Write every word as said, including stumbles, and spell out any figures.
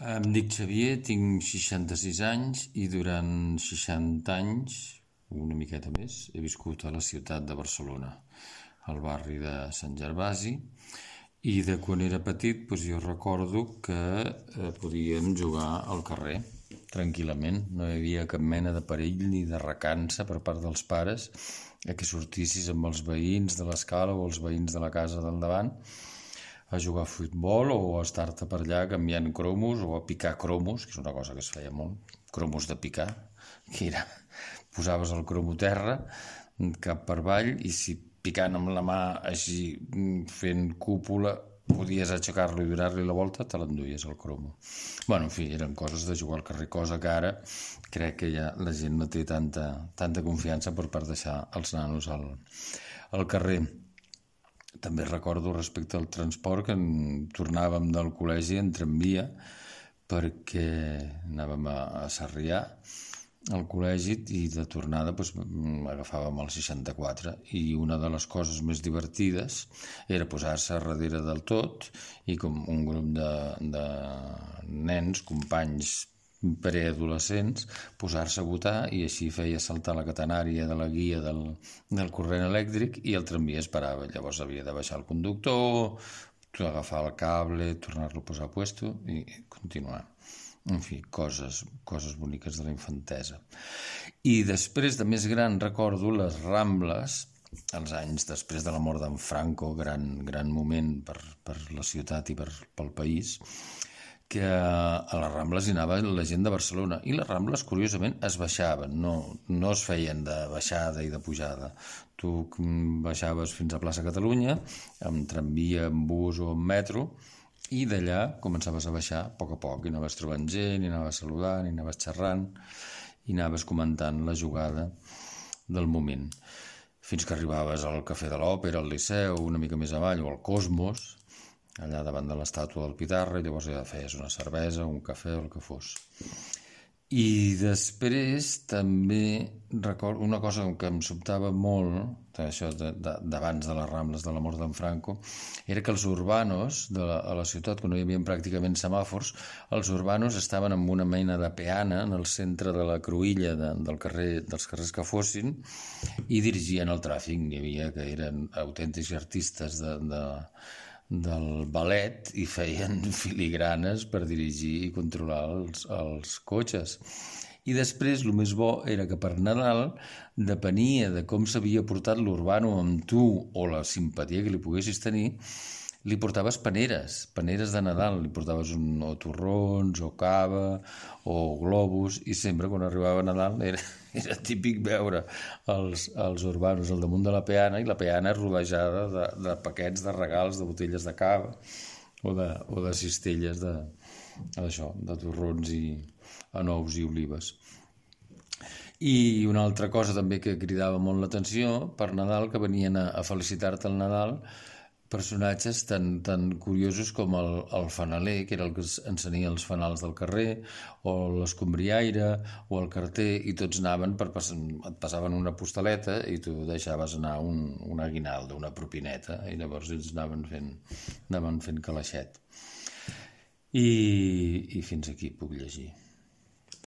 Em dic Xavier, tinc seixanta-sis anys i durant seixanta anys, una miqueta més, he viscut a la ciutat de Barcelona, al barri de Sant Gervasi, i de quan era petit doncs jo recordo que eh, podíem jugar al carrer tranquil·lament, no hi havia cap mena de perill ni de recança per part dels pares a que sortissis amb els veïns de l'escala o els veïns de la casa del davant a jugar a futbol o a estar-te per allà canviant cromos o a picar cromos, que és una cosa que es feia molt, cromos de picar, que era, posaves el cromo a terra, cap per avall, i si picant amb la mà així fent cúpula podies aixecar-lo i donar-li la volta, te l'enduies el cromo. Bueno, en fi, eren coses de jugar al carrer, cosa que ara crec que ja la gent no té tanta, tanta confiança per per deixar els nanos al, al carrer. També recordo respecte al transport que tornàvem del col·legi en tramvia perquè anàvem a, a Sarrià al col·legi i de tornada doncs, agafàvem el seixanta-quatre i una de les coses més divertides era posar-se a darrere del tot i com un grup de, de nens, companys preadolescents, posar-se a votar i així feia saltar la catenària de la guia del, del corrent elèctric i el tramvia es parava. Llavors havia de baixar el conductor, agafar el cable, tornar-lo a posar a puesto i continuar. En fi, coses, coses boniques de la infantesa. I després de més gran recordo les Rambles, els anys després de la mort d'en Franco, gran, gran moment per, per la ciutat i per, pel país, que a les Rambles hi anava la gent de Barcelona i les Rambles, curiosament, es baixaven, no, no es feien de baixada i de pujada. Tu baixaves fins a plaça Catalunya, amb tramvia, amb bus o amb metro, i d'allà començaves a baixar a poc a poc, i anaves trobant gent, i anaves saludant, i anaves xerrant, i anaves comentant la jugada del moment. Fins que arribaves al Cafè de l'Òpera, al Liceu, una mica més avall, o al Cosmos, allà davant de l'estàtua del Pitarra, i llavors ja feies una cervesa, un cafè o el que fos. I després també recordo una cosa que em sobtava molt, això d'abans de les Rambles de la mort d'en Franco, era que els urbanos de la, a la ciutat, quan no hi havia pràcticament semàfors, els urbanos estaven amb una mena de peana en el centre de la cruïlla de, del carrer, dels carrers que fossin i dirigien el tràfic. Hi havia que eren autèntics artistes de... de del ballet i feien filigranes per dirigir i controlar els, els cotxes. I després, el més bo era que per Nadal depenia de com s'havia portat l'urbano amb tu o la simpatia que li poguessis tenir, li portaves paneres, paneres de Nadal, li portaves un, o torrons, o cava, o globus, i sempre quan arribava Nadal era, era típic veure els, els urbanos al damunt de la peana, i la peana rodejada de, de paquets de regals, de botelles de cava, o de, o de cistelles de, això, de torrons i anous i olives. I una altra cosa també que cridava molt l'atenció, per Nadal, que venien a, a felicitar-te el Nadal, personatges tan, tan curiosos com el, el fanaler, que era el que encenia els fanals del carrer, o l'escombriaire, o el carter, i tots anaven, per, et passaven una postaleta i tu deixaves anar un, un aguinaldo, una propineta, i llavors ells anaven fent, anaven fent calaixet. I, i fins aquí puc llegir.